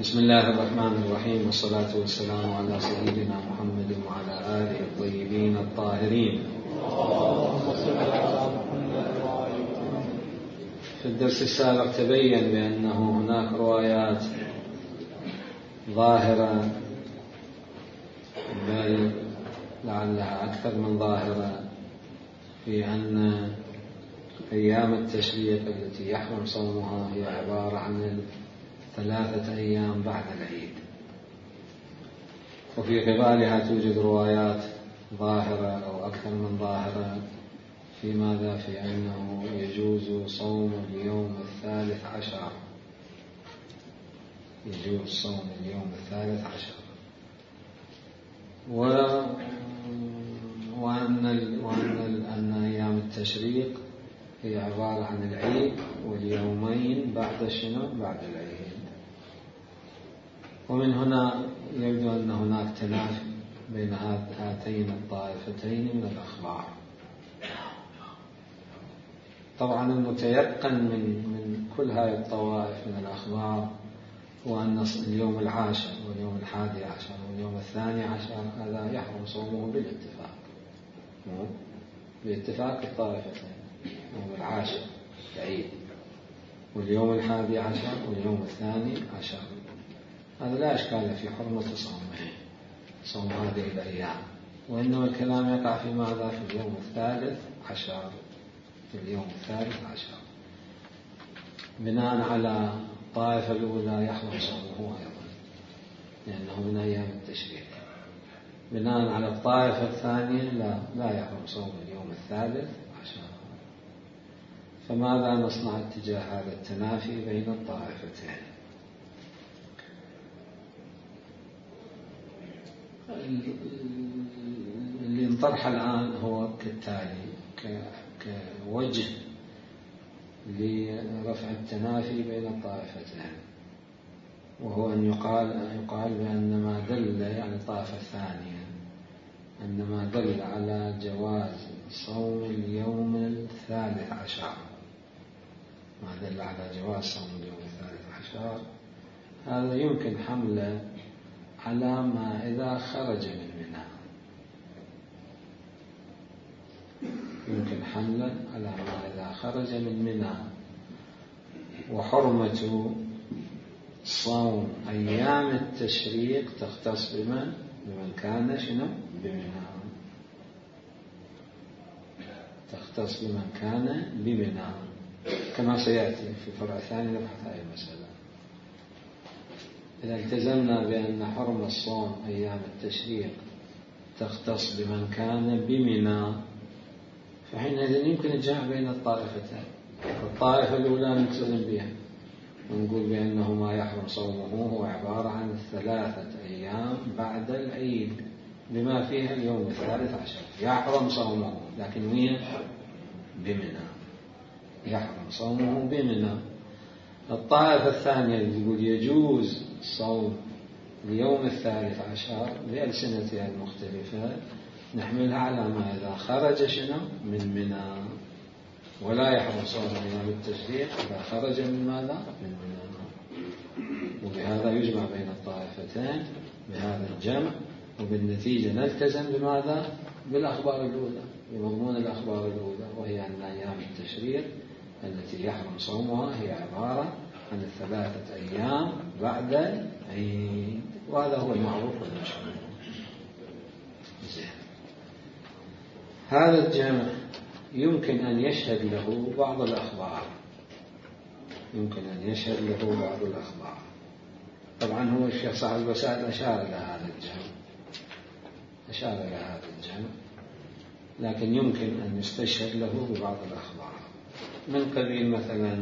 بسم الله الرحمن الرحيم، والصلاة والسلام على سيدنا محمد وعلى آله الطيبين الطاهرين. في الدرس السابق تبين بأنه هناك روايات ظاهرة، بل لعلها أكثر من ظاهرة، في أن أيام التشريق التي يحرم صومها هي عبارة عن 3 أيام بعد العيد، وفي قبالها توجد روايات ظاهرة أو أكثر من ظاهرة في ماذا؟ في أنه يجوز صوم اليوم 13، يجوز صوم اليوم 13، وأن أيام التشريق هي عبارة عن العيد واليومين بعد شنو؟ بعد العيد. ومن هنا يبدو أن هناك تنافي بين هاتين الطائفتين من الأخبار. طبعا المتيقن من كل هذه الطوائف من الأخبار هو أن اليوم 10 واليوم 11 واليوم 12 هذا يحرم صومه باتفاق الطائفتين. يوم 10 العيد، واليوم 11 واليوم 12 هذا لا إشكال في حرمة صوم هذه الأيام، وإنما الكلام يقع في ماذا؟ في اليوم 13، في اليوم 13 بناء على الطائفة الأولى يحرم صومه أيضا لأنه من أيام التشريق. بناء على الطائفة الثانية لا يحرم صوم اليوم 13. فماذا نصنع اتجاه هذا التنافي بين الطائفتين؟ اللي انطرح الآن هو كالتالي كوجه لرفع التنافي بين الطائفتين، وهو أن يقال بأن ما دل، يعني الطائفة الثانية، أن ما دل على جواز صوم اليوم 13، ما دل على جواز صوم اليوم 13 هذا يمكن حمله على ما إذا خرج من منى، يمكن حمله على ما إذا خرج من منى. وحرمة صوم أيام التشريق تختص بمن كان شنو؟ بمنى، تختص بمن كان بمنى، كما سيأتي في الفرع الثاني نبحث هذه المسألة. إذا التزمنا بأن حرم الصوم أيام التشريق تختص بمن كان بمنى، فحينئذ يمكن الجمع بين الطائفتين. الطائفة الأولى نلتزم بها ونقول بأنه ما يحرم صومه هو عبارة عن 3 أيام بعد العيد بما فيها اليوم 13 يحرم صومه، لكن وين؟ بمنى، يحرم صومه بمنى. الطائفة الثانية اللي تقول يجوز صوم اليوم 13 بألسنتها المختلفة نحملها على ما إذا خرج شنو؟ من منى، ولا يحرم صوم أيام التشريق إذا خرج من ماذا؟ من منى. وبهذا يجمع بين الطائفتين بهذا الجمع، وبالنتيجة نلتزم بماذا؟ بالأخبار الأولى، بمضمون الأخبار الأولى، وهي أن أيام التشريق التي يحرم صومها هي عبارة عن 3 أيام بعد العيد، وهذا هو المعروف والمشهور. هذا الجمع يمكن أن يشهد له بعض الأخبار، يمكن أن يشهد له بعض الأخبار. طبعا هو الشيخ صاحب الوسائل أشار إلى هذا الجمع، لكن يمكن أن يستشهد له ببعض الأخبار من قبيل مثلا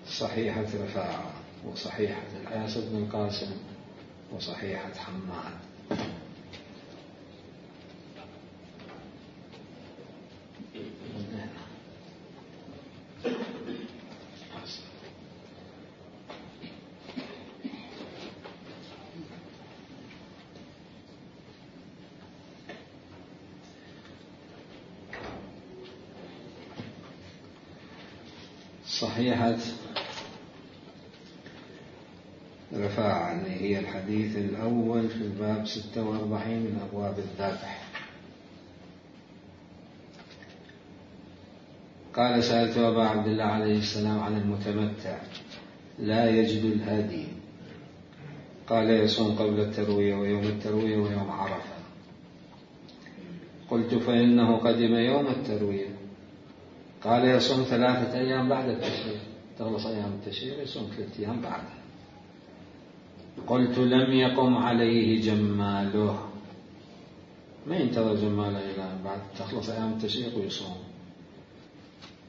صحيحة رفاعة، وصحيحة العاص بن القاسم، وصحيحة حماد. صحيحة رفاعة هي الحديث الأول في الباب 46 من أبواب الذبح. قال: سألت أبا عبد الله عليه السلام عن المتمتع لا يجد الهدي، قال: يصوم قبل التروية ويوم التروية ويوم عرفة. قلت: فإنه قدم يوم التروية. قال: يصوم 3 أيام بعد التشريق، تخلص أيام التشريق يصوم 3 أيام بعدها. قلت: لم يقم عليه جماله، ما ينتظر جماله إلى بعد تخلص أيام التشريق ويصوم.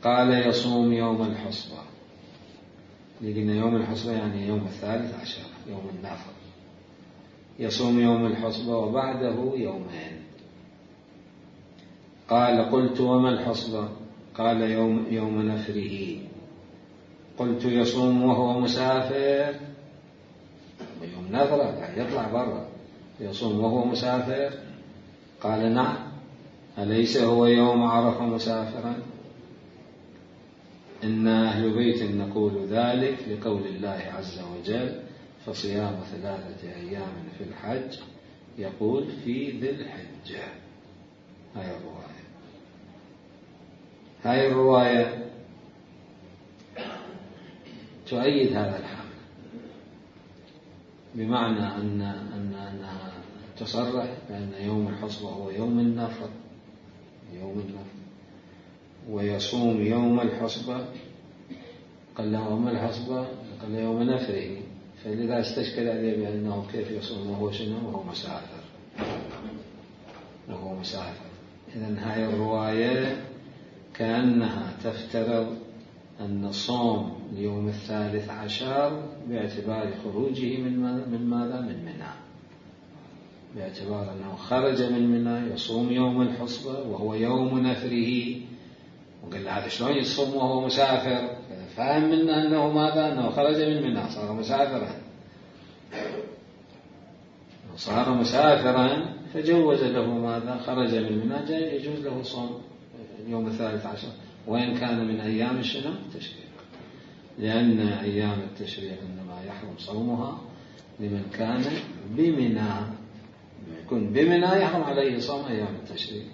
قال: يصوم يوم الحصبة. لقينا يوم الحصبة يعني يوم 13 يوم النفر. يصوم يوم الحصبة وبعده يومين. قال: قلت: وما الحصبة؟ قال: يوم نفره. قلت: يصوم وهو مسافر؟ يوم نفره يعني يطلع برا، يصوم وهو مسافر؟ قال: نعم. أليس هو يوم عرفة مسافرا؟ إنا أهل بيت نقول ذلك لقول الله عز وجل: فصيام 3 أيام في الحج، يقول في ذي الحجة. هاي الرواية تؤيد هذا الحمل، بمعنى أنها تصرح بأن يوم الحصبة هو يوم النفر، ويصوم يوم الحصبة. قال له: وما الحصبة؟ قال: يوم نفره. فلذا استشكل عليه بأنه كيف يصوم وهو شنو؟ وهو مسافر. إذن هاي الرواية كأنها تفترض أن صوم اليوم 13 باعتبار خروجه من ماذا؟ من منى، باعتبار أنه خرج من منى يصوم يوم الحصبة وهو يوم نفره. وقال له: هذا شلون يصوم وهو مسافر؟ فهم منا أنه ماذا؟ أنه خرج من منى، صار مسافرا فجوز له ماذا؟ خرج من منى، جاء يجوز له صوم يوم 13 وإن كان من أيام التشريق، لأن أيام التشريق إنما يحرم صومها لمن كان بمنى. يكون بمنى يحرم عليه صوم أيام التشريق،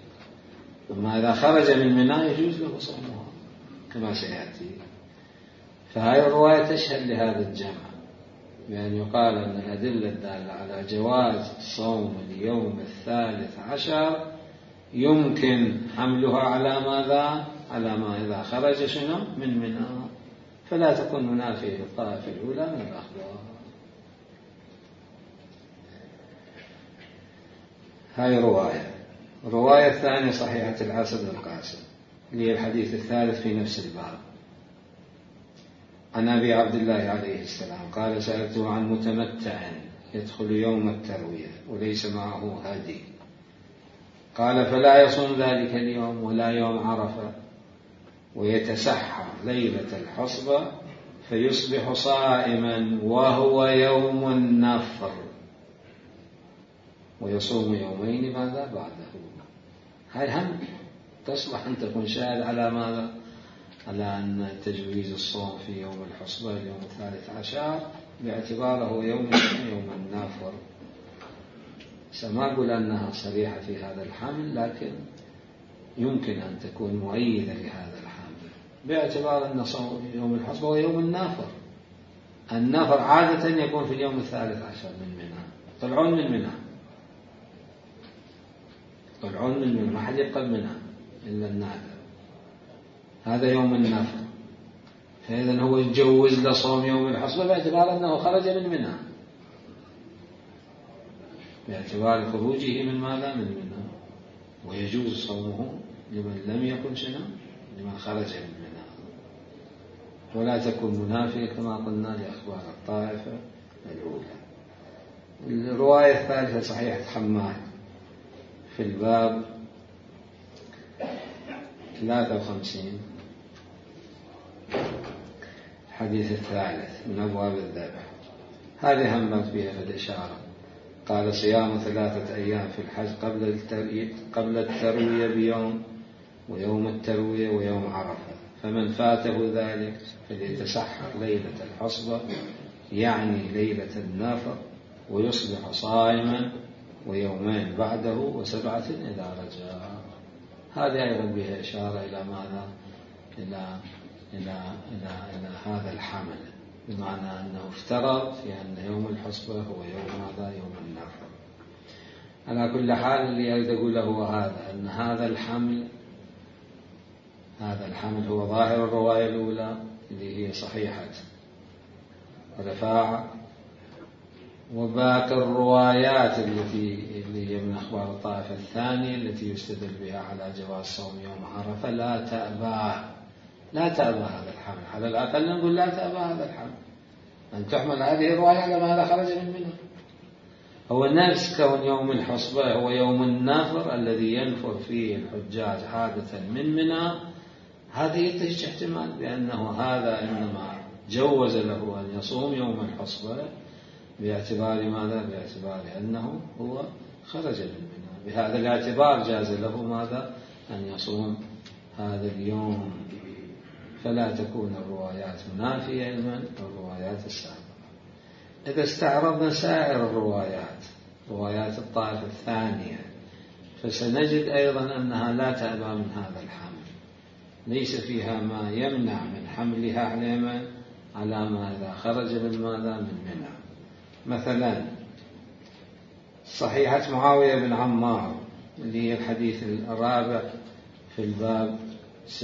أما إذا خرج من منى يجوز له صومها كما سيأتي. فهذه الرواية تشهد لهذا الجمع، بأن يقال أن الأدلة الدالة على جواز صوم اليوم 13 يمكن حملها على ماذا؟ على ما إذا خرج من منى، فلا تكون منافية للطائفة الأولى من الأخبار. هاي رواية الثانية صحيحة العسد القاسم، اللي هي الحديث الثالث في نفس الباب، عن أبي عبد الله عليه السلام قال: سألته عن متمتع يدخل يوم التروية وليس معه هدي، قال: فلا يصوم ذلك اليوم ولا يوم عرفة، ويتسحر ليلة الحصبة فيصبح صائما وهو يوم النفر، ويصوم يومين ماذا بعده. هاي هم تصلح أن تكون شاهد على ماذا؟ على أن تجويز الصوم في يوم الحصبة اليوم 13 باعتباره يوم النافر. سما أقول أنها صريحة في هذا الحمل، لكن يمكن أن تكون مؤيدة لهذا الحمل باعتبار أن صوم يوم الحصبة هو يوم النافر. النافر عادة يكون في اليوم 13 من منى، طلعون من منى، ما حد يبقى منى إلا النادر، هذا يوم النفر. فإذا هو يجوز لصوم يوم الحصبة باعتبار أنه خرج من منى، باعتبار خروجه من ماذا؟ من منى، ويجوز صومه لمن لم يكن لمن خرج من منى، ولا تكون منافية كما قلنا لأخبار الطائفة الأولى. الرواية الثالثة صحيحة حماد في الباب 53 الحديث الثالث من أبواب الذبح. هذه همت بها في الإشارة. قال: صيام 3 أيام في الحج قبل التروية بيوم، ويوم التروية ويوم عرفة، فمن فاته ذلك فليتسحر ليلة الحصبة يعني ليلة النفر، ويصبح صائما ويومين بعده وسبعة إذا رجع. هذه أيضا بها إشارة إلى ماذا؟ إلى إلى إلى إلى هذا الحمل، بمعنى أنه افترض في أن يوم الحصبة هو يوم ماذا؟ يوم النفر. على كل حال اللي أريد أقوله هو هذا، أن هذا الحمل هو ظاهر الرواية الأولى اللي هي صحيحة رفاعة، وباقي الروايات اللي هي من أخبار الطائفة الثانية التي يستدل بها على جواز صوم يوم عرفة لا تأبى هذا الحمل. على الأقل نقول لا تأبى هذا الحمل، أن تحمل هذه الرواية على ماذا خرج من منى. هو نفس كون يوم الحصبة هو يوم النفر الذي ينفر فيه الحجاج عادة من منى، هذا ينتج احتمال بأنه هذا إنما جوز له أن يصوم يوم الحصبة باعتبار ماذا؟ باعتبار أنه هو خرج من منى، بهذا الاعتبار جاز له ماذا؟ أن يصوم هذا اليوم. فلا تكون الروايات منافية لمن؟ الروايات السابقة. إذا استعرضنا سائر الروايات، روايات الطائفة الثانية، فسنجد أيضا أنها لا تأبى من هذا الحمل، ليس فيها ما يمنع من حملها على ما إذا خرج من ماذا؟ من منى. مثلا صحيحة معاوية بن عمار اللي هي الحديث الرابع في الباب 46،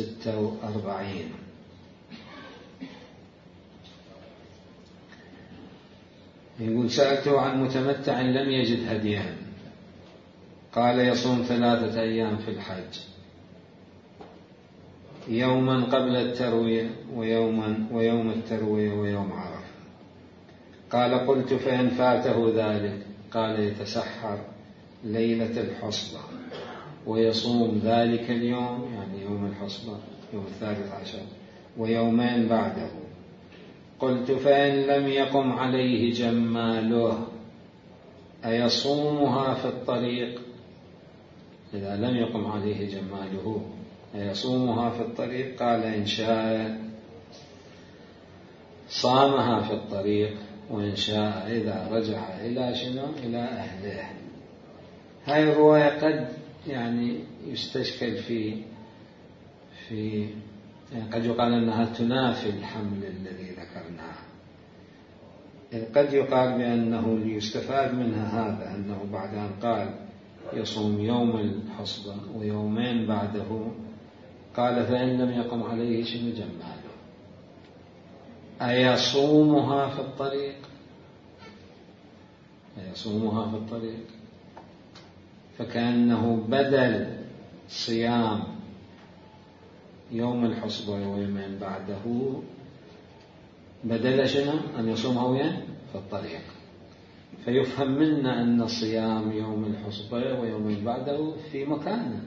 يقول: سألته عن متمتع لم يجد هديا، قال: يصوم 3 أيام في الحج، يوما قبل التروية ويوم التروية ويوم عرفة. قال: قلت: فإن فاته ذلك؟ قال: يتسحر ليلة الحصبة ويصوم ذلك اليوم، يعني يوم الحصبة يوم 13 ويومين بعده. قلت: فإن لم يقم عليه جماله أيصومها في الطريق؟ إذا لم يقم عليه جماله أيصومها في الطريق؟ قال: إن شاء صامها في الطريق، وإن شاء إذا رجع إلى شنو؟ إلى أهله. هاي الرواية قد يعني يستشكل في قد يقال أنها تنافي الحمل الذي ذكرناه. قد يقال بأنه ليستفاد منها هذا، أنه بعد أن قال يصوم يوم الحصبة ويومين بعده، قال: فإن لم يقم عليه شنو؟ جماله أيصومها في الطريق؟ أيصومها في الطريق، فكأنه بدل صيام يوم الحصبة ويومين بعده، بدل شنو؟ أن يصومها وين؟ في الطريق. فيفهم منا أن صيام يوم الحصبة ويومين بعده في مكانه،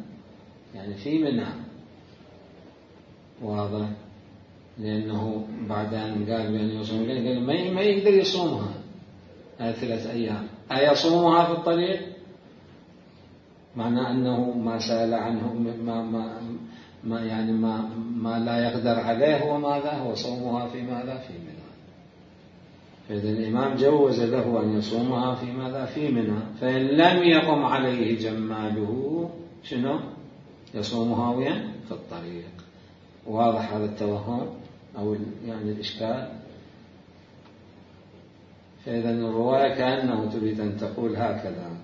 يعني في منى، واضح؟ لأنه بعد أن قال بأن يصوم، قال ما يقدر يصومها 3 أيام. أيصومها في الطريق؟ معنى أنه ما سأل عنه ما لا يقدر عليه هو ماذا؟ هو صومها في ماذا؟ في منى. فإذا الإمام جوز له أن يصومها في ماذا؟ في منى. فإن لم يقم عليه جماله شنو؟ يصومها وين؟ في الطريق. واضح هذا التوهم أو يعني الإشكال؟ فإذا الرواية كأنه تريد أن تقول هكذا: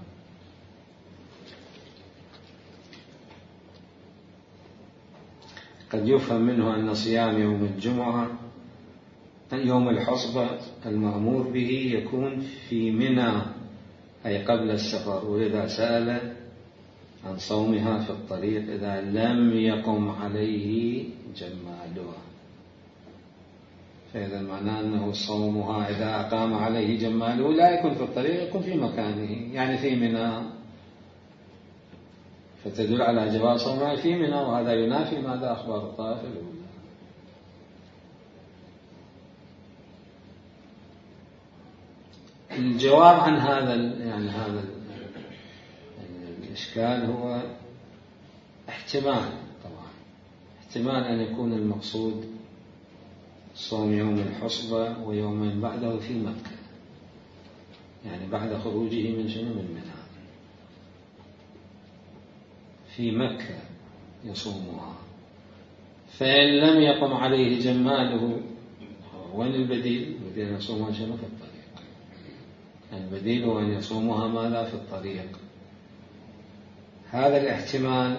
قد يفهم منه أن صيام يوم الجمعة يوم الحصبة المأمور به يكون في منى، أي قبل السفر، ولذا سأل عن صومها في الطريق إذا لم يقم عليه جماله. فإذا معناه أنه صومها إذا أقام عليه جماله لا يكون في الطريق، يكون في مكانه، يعني في منى، فتدل على جواز صومها في منى. وهذا ينافي ماذا؟ أخبار الطائفة الأولى. الجواب عن هذا الإشكال هو احتمال، طبعا احتمال أن يكون المقصود صوم يوم الحصبة ويومين بعده في مكة، يعني بعد خروجه من شنو؟ من منى، في مكة يصومها. فإن لم يقم عليه جماله، وين البديل؟ البديل أن يصومها شنو؟ في الطريق. البديل هو أن يصومها ماذا؟ في الطريق. هذا الاحتمال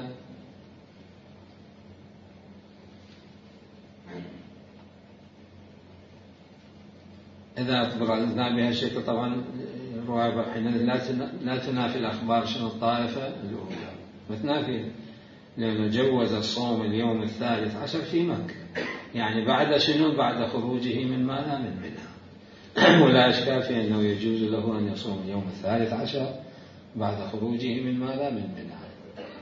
إذا أخبرنا بهالشكل طبعا الرواية حينئذ لا تنافي الأخبار شنو؟ الطائفة الأولى ما تنافي، لأنه جوز الصوم اليوم 13 في مكة، يعني بعد شنو؟ بعد خروجه من ماذا؟ من منى. ولا إشكال في أنه يجوز له أن يصوم اليوم 13 بعد خروجه من ماذا؟ من منى.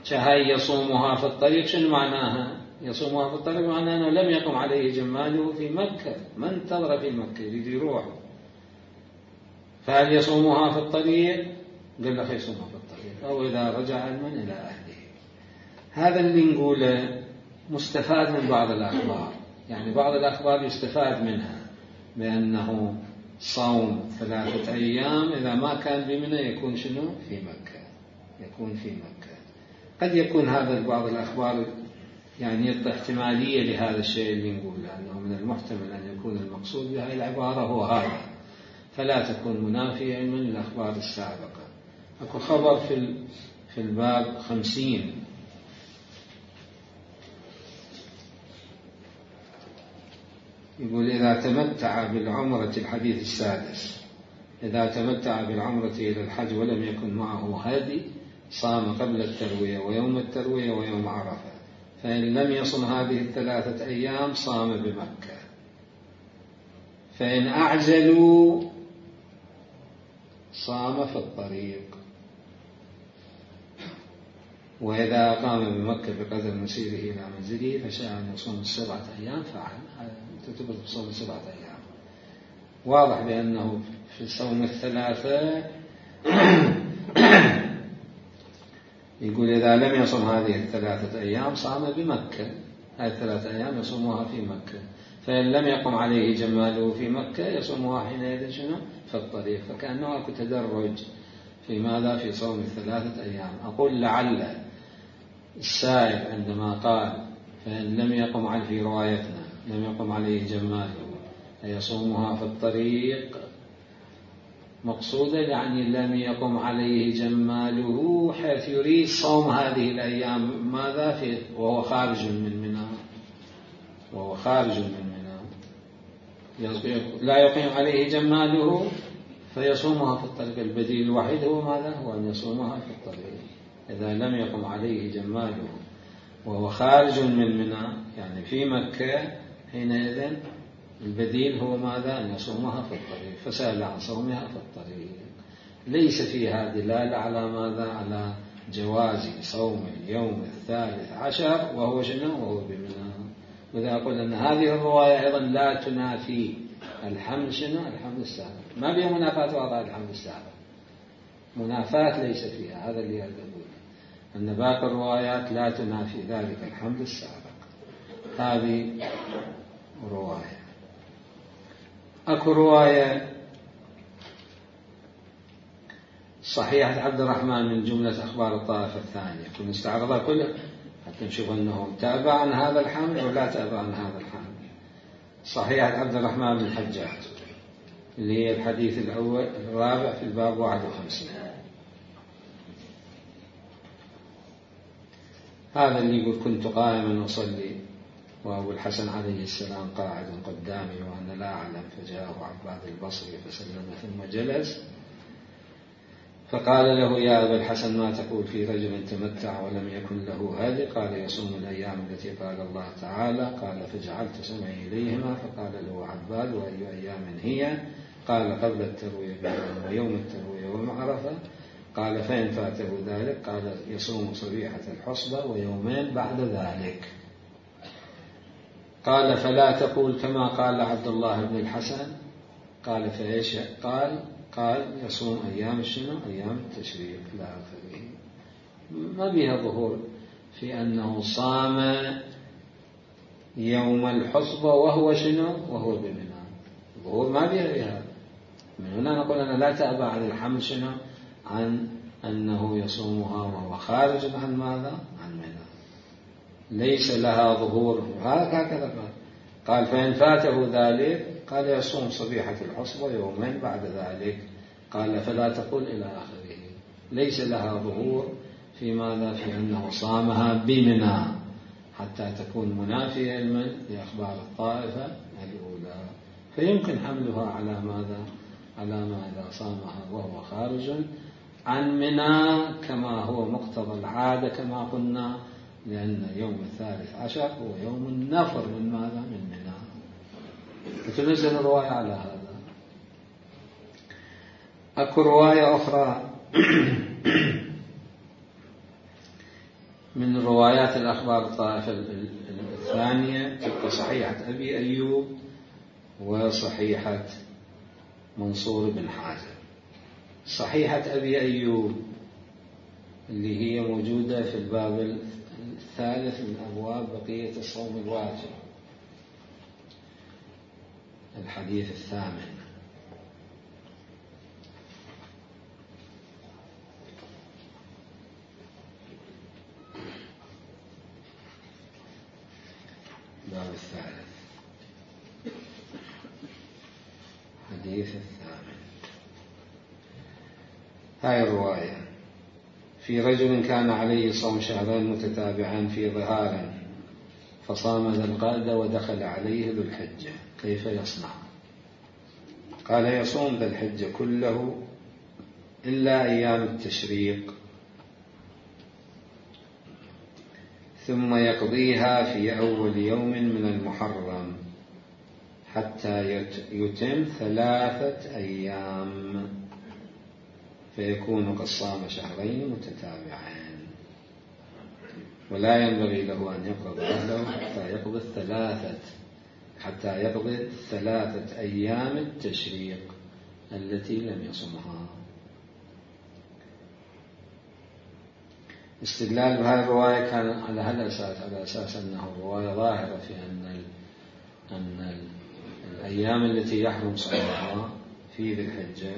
شهي يصومها في الطريق، شنو معناها؟ يصومها في الطريق معناه أنه لم يقم عليه جماله في مكة، ما انتظر في مكة يريد يروح. فهل يصومها في الطريق؟ قال لك يصومها في الطريق، أو إذا رجع من إلى أهله. هذا اللي نقوله مستفاد من بعض الأخبار، يعني بعض الأخبار يستفاد منها بأنه صوم 3 أيام إذا ما كان بمنى يكون شنو؟ في مكة، يكون في مكة. قد يكون هذا بعض الأخبار يعني يعطي احتمالية لهذا الشيء اللي نقوله، أنه من المحتمل أن يكون المقصود بهذه العبارة هو هذا، فلا تكون منافية من الأخبار السابقة. أكو خبر في الباب 50 يقول: إذا تمتع بالعمرة، الحديث السادس، إذا تمتع بالعمرة إلى الحج ولم يكن معه هادي صام قبل التروية ويوم التروية ويوم عرفة، فإن لم يصم هذه 3 أيام صام بمكة. فإن أعجلوا صام في الطريق، وإذا أقام بمكة بقدر مسيره إلى منزله فشاء أن يصوم 7 أيام فعل، تثبت بصوم 7 أيام. واضح بأنه في صوم 3 يقول إذا لم يصم هذه 3 أيام صام بمكة، هذه 3 أيام يصومها في مكة. فإن لم يقم عليه جماله في مكة يصومها حينئذ شنو؟ في الطريق. فكأنه أكو تدرج في ماذا؟ في صوم 3 أيام. أقول لعل السائل عندما قال فإن لم يقم عليه، في روايتنا لم يقم عليه جماله يصومها في الطريق، مقصودا يعني لم يقم عليه جماله حيث يريد صوم هذه الأيام ماذا؟ وهو خارج من منى، وهو خارج من منى لا يقيم عليه جماله فيصومها في الطريق. البديل الوحيد هو ماذا؟ هو أن يصومها في الطريق. إذا لم يقم عليه جماله وهو خارج من منى يعني في مكة، حينئذ البديل هو ماذا؟ أن يصومها في الطريق. فسأل عن صومها في الطريق. ليس فيها دلالة على ماذا؟ على جواز صوم اليوم 13 وهو شنو؟ وهو بمنى. وإذا أقول أن هذه الرواية أيضا لا تنافي الحمل شنو؟ الحمل السابق، ما بها منافاة وضع الحمل السابق، منافاة ليس فيها. هذا اللي أقول، أن باقي الروايات لا تنافي ذلك الحمل السابق. هذه رواية. أكو رواية صحيحة عبد الرحمن من جملة أخبار الطائفة الثانية، كنا نستعرضها كلها حتى نشوف أنه تابع عن هذا الحمل أو لا تابع عن هذا الحمل. صحيحة عبد الرحمن بن الحجاج اللي هي الحديث الرابع في الباب 51. هذا اللي يقول: كنت قائما أصلي وأبو الحسن عليه السلام قاعد قدامي وأنا لا أعلم، فجاءه عباد البصري فسلم ثم جلس، فقال له: يا أبا الحسن ما تقول في رجل تمتع ولم يكن له هادي؟ قال: يصوم الأيام التي قال الله تعالى. قال: فجعلت سمعي إليهما. فقال له عباد: وأي أيام هي؟ قال: قبل التروية بيوم ويوم التروية ومعرفة. قال: فإن فاته ذلك قال: يصوم صبيحة الحصبة ويومين بعد ذلك. قال: فلا تقول كما قال عبد الله بن الحسن. قال: فإيش قال: يصوم أيام شنو؟ أيام التشريق لا آخره. ما بها ظهور في أنه صام يوم الحصبة وهو شنو؟ وهو بمنى. الظهور ما بيها هذا. من هنا نقول أنا لا تأبى عن الحمل شنو؟ عن أنه يصومها وهو خارج عن ماذا؟ عن منى، ليس لها ظهور. هكذا قال فإن فاته ذلك قال يصوم صبيحة الحصبة يومين بعد ذلك. قال فلا تقل إلى آخره. ليس لها ظهور في ماذا؟ في أنه صامها بمنى حتى تكون منافية لأخبار الطائفة الأولى، فيمكن حملها على ماذا؟ على ما إذا صامها وهو خارج عن منى كما هو مقتضى العادة كما قلنا، لأن يوم 13 هو يوم النفر من ماذا؟ من منى. وتنزل الرواية على هذا. أكو رواية أخرى من روايات الأخبار الطائفة الثانية تبقى صحيحة أبي أيوب وصحيحة منصور بن حازم. صحيحة أبي أيوب اللي هي موجودة في الباب الثالث من أبواب بقية الصوم الواجب، الحديث الثامن. الباب الثالث الحديث الثامن. هاي الرواية: في رجل كان عليه صوم شهرين متتابعين في ظهار فصام ذا القعدة ودخل عليه ذو الحجة، كيف يصنع؟ قال يصوم ذا الحجة كله إلا أيام التشريق، ثم يقضيها في أول يوم من المحرم حتى يتم 3 أيام، فيكون قد صام شهرين متتابعين، ولا ينبغي له أن يقضي أهله حتى يقضي 3 أيام التشريق التي لم يصمها. استدلال بهذه الرواية كان على هذا الأساس، على أساس أنه الرواية ظاهرة في أن الأيام التي يحرم صومها في ذي الحجة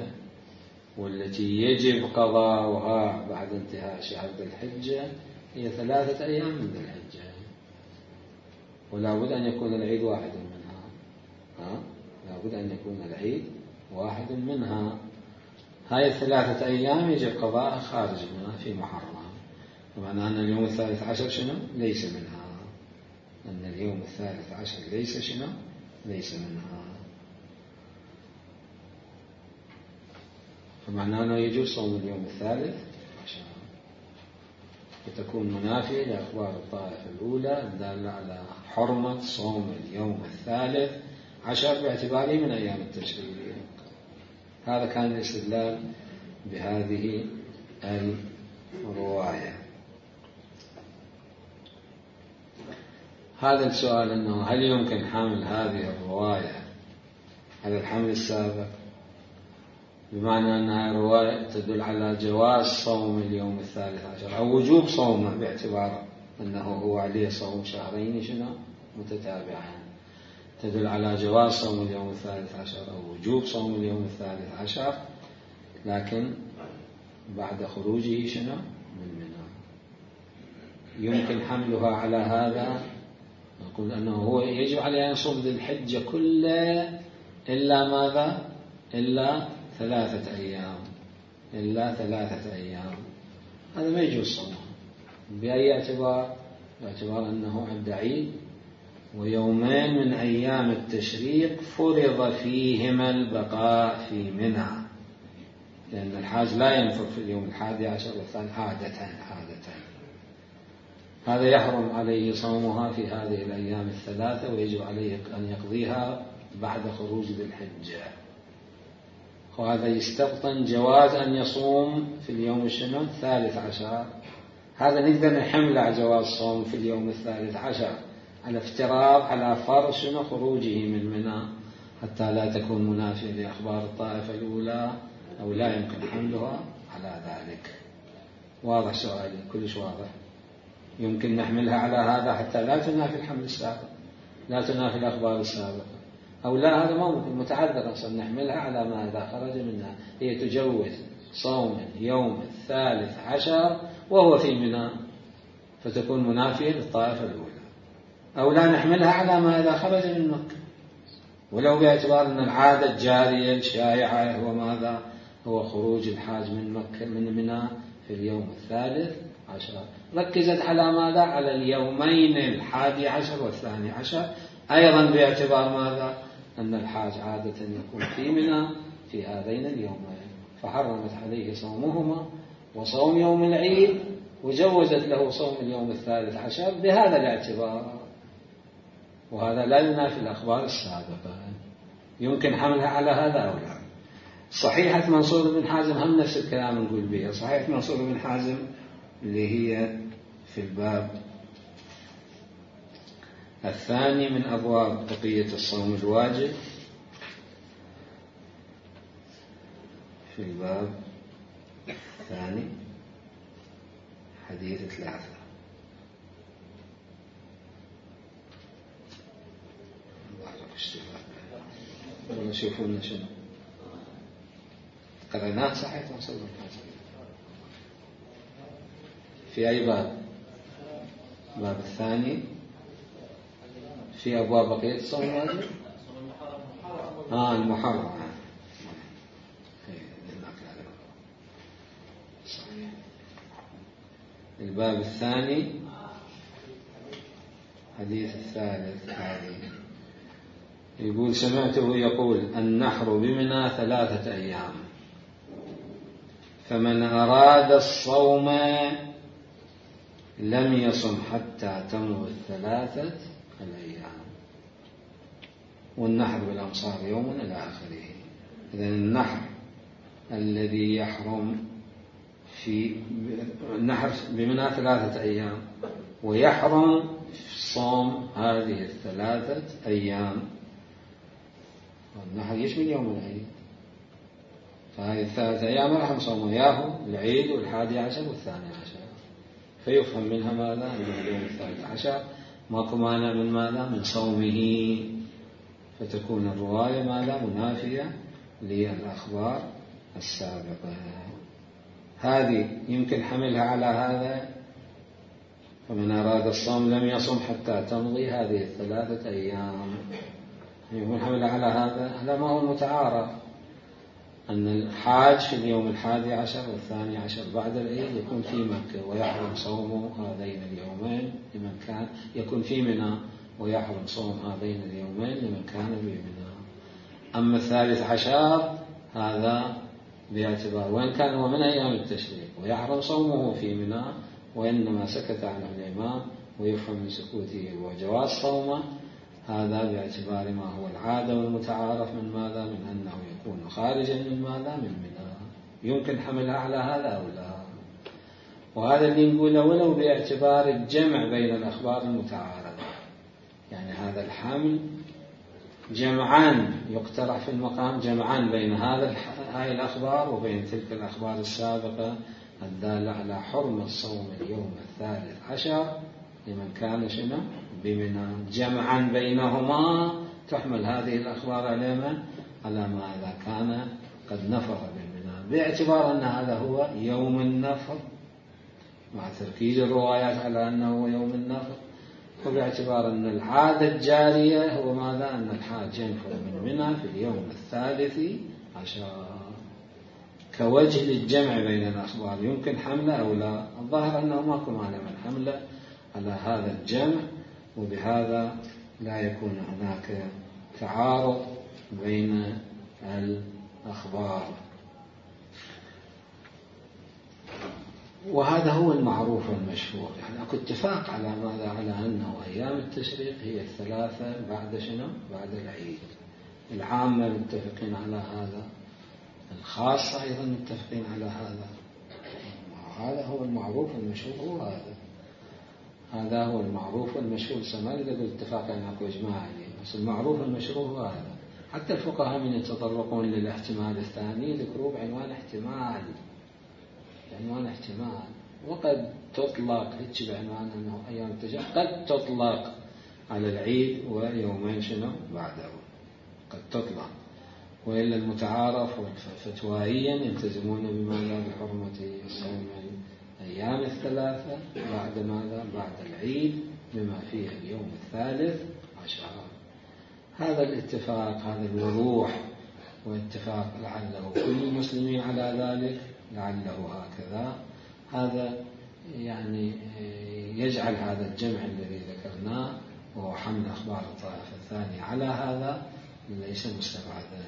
والتي يجب قضاؤها بعد انتهاء شهر ذي الحجة هي 3 أيام من ذي الحجة، ولا بد أن يكون العيد واحد منها. لا بد أن يكون العيد واحد منها. هاي 3 أيام يجب قضاءها خارج منها في محرم. طبعا أن اليوم 13 شنو؟ ليس منها. أن اليوم 13 ليس شنو؟ ليس منها. فمعناه أنه يجوز صوم اليوم 13 وتكون منافية لأخبار الطائفة الأولى الدالة على حرمة صوم اليوم 13 باعتباره من أيام التشريق. هذا كان الاستدلال بهذه الرواية. هذا السؤال أنه هل يمكن حمل هذه الرواية على الحمل السابق، بمعنى أنها رواية تدل على جواز صوم اليوم 13 أو وجوب صومه باعتبار أنه هو عليه صوم شهرين شنو متتابعين، تدل على جواز صوم اليوم 13 أو وجوب صوم اليوم 13، لكن بعد خروجه شنو من منى. يمكن حملها على هذا، نقول أنه هو يجب عليه أن يصوم ذي الحجة كله إلا ماذا؟ إلا 3 أيام، إلا 3 أيام. هذا ما يجوز صومه بأي اعتبار؟ باعتبار أنه عند عيد ويومين من أيام التشريق فرض فيهما البقاء في منى، لأن الحاج لا ينفر في اليوم 11 والثاني عادة. هذا يحرم عليه صومها في هذه الأيام 3 ويجب عليه أن يقضيها بعد خروج ذي الحجة. وهذا يستبطن جواز أن يصوم في اليوم الشنو 13. هذا نقدر نحمل على جواز صوم في اليوم 13 على افتراض على فرض شنو خروجه من منى حتى لا تكون منافية لأخبار الطائفة الأولى أو لا يمكن حملها على ذلك. واضح سؤالي؟ كلش واضح. يمكن نحملها على هذا حتى لا تنافي الحمل السابق، لا تنافي الأخبار السابقة، أو لا هذا ما ممكن، متعذر أصلا نحملها على ما إذا خرج منها. هي تجوز صوم يوم 13 وهو في منى، فتكون منافية للطائفة الأولى. أو لا نحملها على ما إذا خرج من مكة، ولو باعتبار أن العادة الجارية الشائعة هو ماذا؟ هو خروج الحاج من مكة من منى في اليوم 13. ركزت على ماذا؟ على اليومين 11 و12، أيضا باعتبار ماذا؟ أن الحاج عادة يكون في منى في هذين اليومين، فحرمت عليه صومهما وصوم يوم العيد، وجوزت له صوم اليوم 13 بهذا الاعتبار. وهذا لا ينافي الأخبار السابقة، يمكن حملها على هذا أو لا. صحيحة منصور بن حازم هم نفس الكلام نقول بها. صحيحة منصور بن حازم اللي هي في الباب الثاني من أبواب بقية الصوم الواجب، في الباب الثاني حديث 3. ونشوفون شنو قريناه. صحيح منصور بن حازم في أي باب؟ الباب الثاني في أبواب بقية الصوم الواجب. المحرم. صحيح. الباب الثاني حديث 3 هذه يقول: سمعته يقول: النحر بمنى 3 أيام، فمن أراد الصوم لم يصم حتى تمضي 3 الأيام. والنحر بالأمصار يوم إلى آخره. إذن النحر الذي يحرم في النحر بمنى 3 أيام، ويحرم صوم هذه 3 أيام. النحر يشمل يوم العيد، فهذه 3 أيام راح نصوم وياهم العيد وال11 وال12، فيفهم منها ماذا؟ أن اليوم 13 ماكو مانع من ماذا؟ من صومه، فتكون الرواية ماذا؟ منافية للأخبار السابقة. هذه يمكن حملها على هذا: فمن أراد الصوم لم يصم حتى تمضي هذه 3 أيام. يمكن حملها على هذا. هذا ما هو المتعارف، أن الحاج في اليوم 11 و12 بعد العيد يكون في مكة، ويحرم صوم هذين اليومين لمن كان يكون في منى، ويحرم صوم هذين اليومين لمن كان بمنى. أما 13 هذا باعتبار وإن كان هو من أيام التشريق، ويحرم صومه في منى، وإنما سكت عنه الإمام، ويفهم من سكوته وجواز صومه. هذا باعتبار ما هو العادة والمتعارف من ماذا؟ من أنه يكون خارجا من ماذا؟ من منى. يمكن حملها على هذا أو لا. وهذا اللي نقوله ولو باعتبار الجمع بين الأخبار المتعارضة، يعني هذا الحمل جمعان يقترح في المقام، جمعان بين هاي الأخبار وبين تلك الأخبار السابقة الدالة على حرمة صوم اليوم 13 لمن كان شنو؟ بمنى. جمعا بينهما تحمل هذه الأخبار على ما إذا كان قد نفر بالمنى، باعتبار أن هذا هو يوم النفر، مع تركيز الروايات على أنه هو يوم النفر، وباعتبار أن العادة الجارية هو ماذا؟ أن الحاج ينفر من منى في اليوم 13 كوجه للجمع بين الأخبار. يمكن حمله أو لا؟ الظاهر أنه ماكو مانع من حمله على هذا الجمع، وبهذا لا يكون هناك تعارض بين الأخبار. وهذا هو المعروف والمشهور. يعني أكو اتفاق على ماذا؟ على أنه أيام التشريق هي 3 بعد شنو؟ بعد العيد. العامة متفقين على هذا، الخاصة أيضا متفقين على هذا. هذا هو المعروف والمشهور. هو هذا هو المعروف والمشهور. سمال إذا قلت اتفاق يعني أكو إجماع عليه، بس المعروف والمشهور هو هذا. حتى الفقهاء من يتطرقون للاحتمال الثاني ذكروه بعنوان احتمال، بعنوان احتمال. وقد تطلق هيك بعنوان أنه أيام التشريق، قد تطلق على العيد ويومين شنو بعده قد تطلق. وإلا المتعارف فتوائيا يلتزمون بماذا؟ بحرمة صوم الأيام الثلاثة بعد ماذا؟ بعد العيد بما فيه اليوم 13. هذا الاتفاق، هذا الوضوح واتفاق لعله كل المسلمين على ذلك، لعله هكذا، هذا يعني يجعل هذا الجمع الذي ذكرناه وهو حمل أخبار الطائفة الثانية على هذا ليس مستبعدا.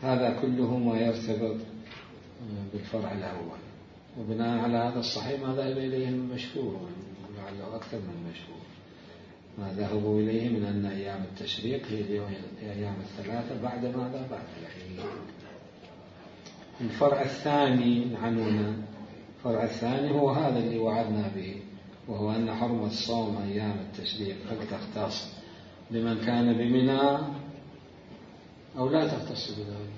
هذا كله ما يرتبط بالفرع الأول. وبناء على هذا الصحيح ما ذهب إليه المشهور، لعله أكثر من مشهور، ما ذهبوا إليه من أن أيام التشريق هي الأيام الثلاثة بعد ماذا؟ بعد العيد. الفرع الثاني عنونا، الفرع الثاني هو هذا اللي وعدنا به، وهو أن حرمة صوم أيام التشريق هل تختص بمن كان بمنى أو لا تختص بذلك؟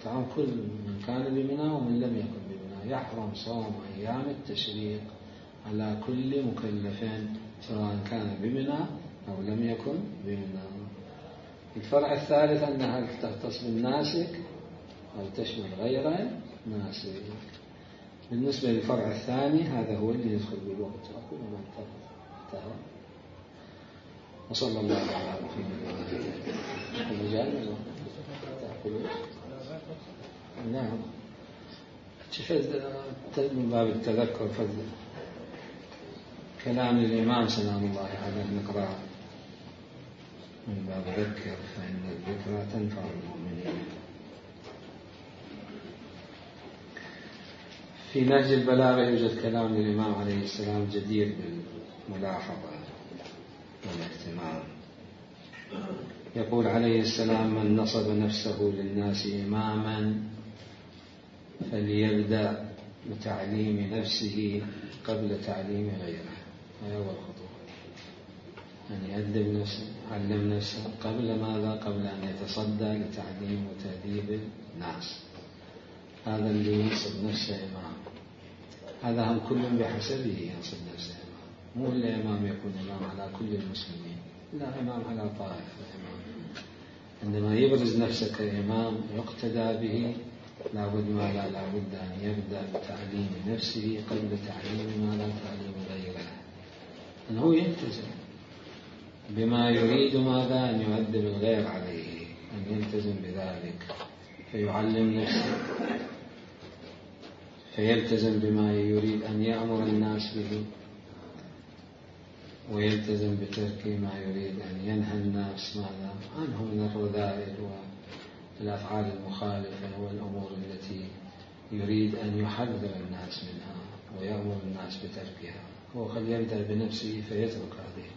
طبعا كل من كان بمنى ومن لم يكن بمنى يحرم صوم أيام التشريق على كل مكلف سواء كان بمنى أو لم يكن بمنى. الفرع الثالث أنها هل تختص بالناسك أو تشمل غير ناسك. بالنسبة للفرع الثاني هذا هو اللي يدخل بالوقت. أقول ما انتهى. وصلى الله على محمد وعلى آله. نعم. من باب التذكر فضل كلام الإمام سلام الله عليه نقرأ من باب ذكر فإن الذكرى تنفع المؤمنين. في نهج البلاغة يوجد كلام للإمام عليه السلام جدير بالملاحظة والاهتمام. يقول عليه السلام: من نصب نفسه للناس إماما فليبدأ بتعليم نفسه قبل تعليم غيره. هذا هو الخطوة، أن يأدب نفسه، يعلم نفسه قبل ماذا؟ قبل أن يتصدى لتعليم وتأديب الناس. هذا اللي ينصب نفسه إمام، هذا هم كل بحسبه ينصب نفسه إمام، مو إلا إمام يكون إمام على كل المسلمين، لا إمام على طائفة إمام. عندما يبرز نفسه كإمام يقتدى به لابد أن يبدأ بتعليم نفسه قبل تعليم تعليم غيره، أنه يلتزم بما يريد ماذا؟ أن يؤدب الغير عليه، أن يلتزم بذلك فيعلم نفسه، فيلتزم بما يريد أن يأمر الناس به، ويلتزم بترك ما يريد أن ينهى الناس ماذا عنه من الرذائل والأفعال المخالفة والأمور التي يريد أن يحذر الناس منها ويأمر الناس بتركها. هو قد يبدأ بنفسه فيترك هذه.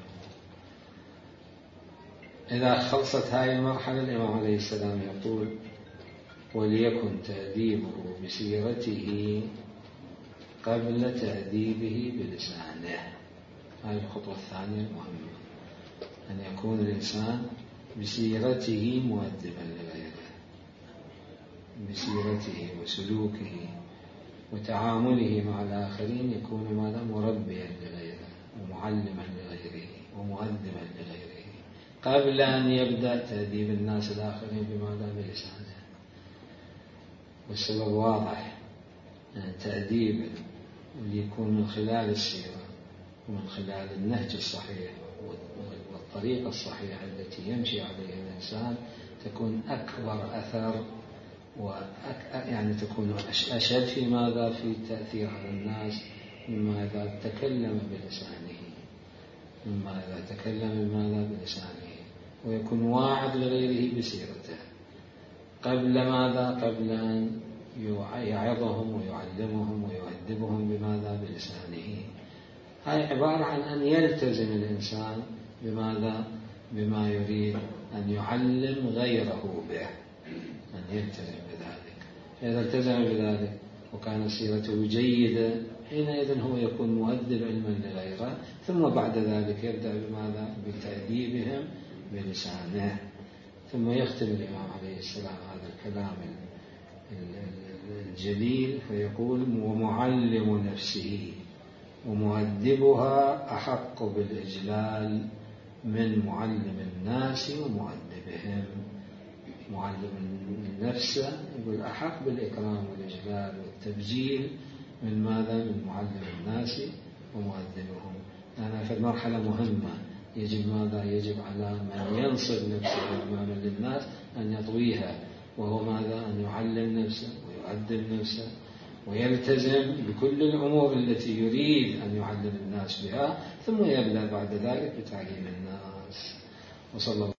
إذا خلصت هذه المرحلة الإمام عليه السلام يقول: وليكن تأديبه بسيرته قبل تأديبه بلسانه. هذه الخطوة الثانية المهمة، أن يكون الإنسان بسيرته مؤدبا لغيره، بسيرته وسلوكه وتعامله مع الآخرين يكون ماذا؟ مربيا لغيره ومعلما لغيره ومؤدبا لغيره قبل أن يبدأ تأديب الناس الآخرين بماذا؟ بلسانه. والسبب واضح، تأديب اللي يكون من خلال السيرة ومن خلال النهج الصحيح والطريقة الصحيحة التي يمشي عليها الإنسان تكون أكبر أثر يعني تكون أشد في ماذا؟ في التأثير على الناس مما إذا تكلم بلسانه، مما إذا تكلم بماذا؟ بلسانه، ويكون واعظ لغيره بسيرته قبل ماذا؟ قبل أن يعظهم ويعلمهم ويؤدبهم بماذا؟ بلسانه. هاي عبارة عن أن يلتزم الإنسان بماذا؟ بما يريد أن يعلم غيره به، أن يلتزم بذلك. فإذا التزم بذلك وكان سيرته جيدة حينئذ هو يكون مؤدب علما لغيره، ثم بعد ذلك يبدأ بماذا؟ بتأديبهم بلسانه. ثم يختم الإمام عليه السلام هذا الكلام الجليل فيقول: ومعلم نفسه. ومؤدبها أحق بالإجلال من معلم الناس ومؤدبهم. معلم النفس يقول أحق بالإكرام والإجلال والتبجيل من ماذا؟ من معلم الناس ومؤدبهم. لأنها في مرحلة مهمة يجب ماذا؟ يجب على من ينصب نفسه أمام للناس أن يطويها، وهو ماذا؟ أن يعلم نفسه ويؤدب نفسه ويلتزم بكل الأمور التي يريد أن يعلم الناس بها، ثم يبدأ بعد ذلك بتعليم الناس. وصلى الله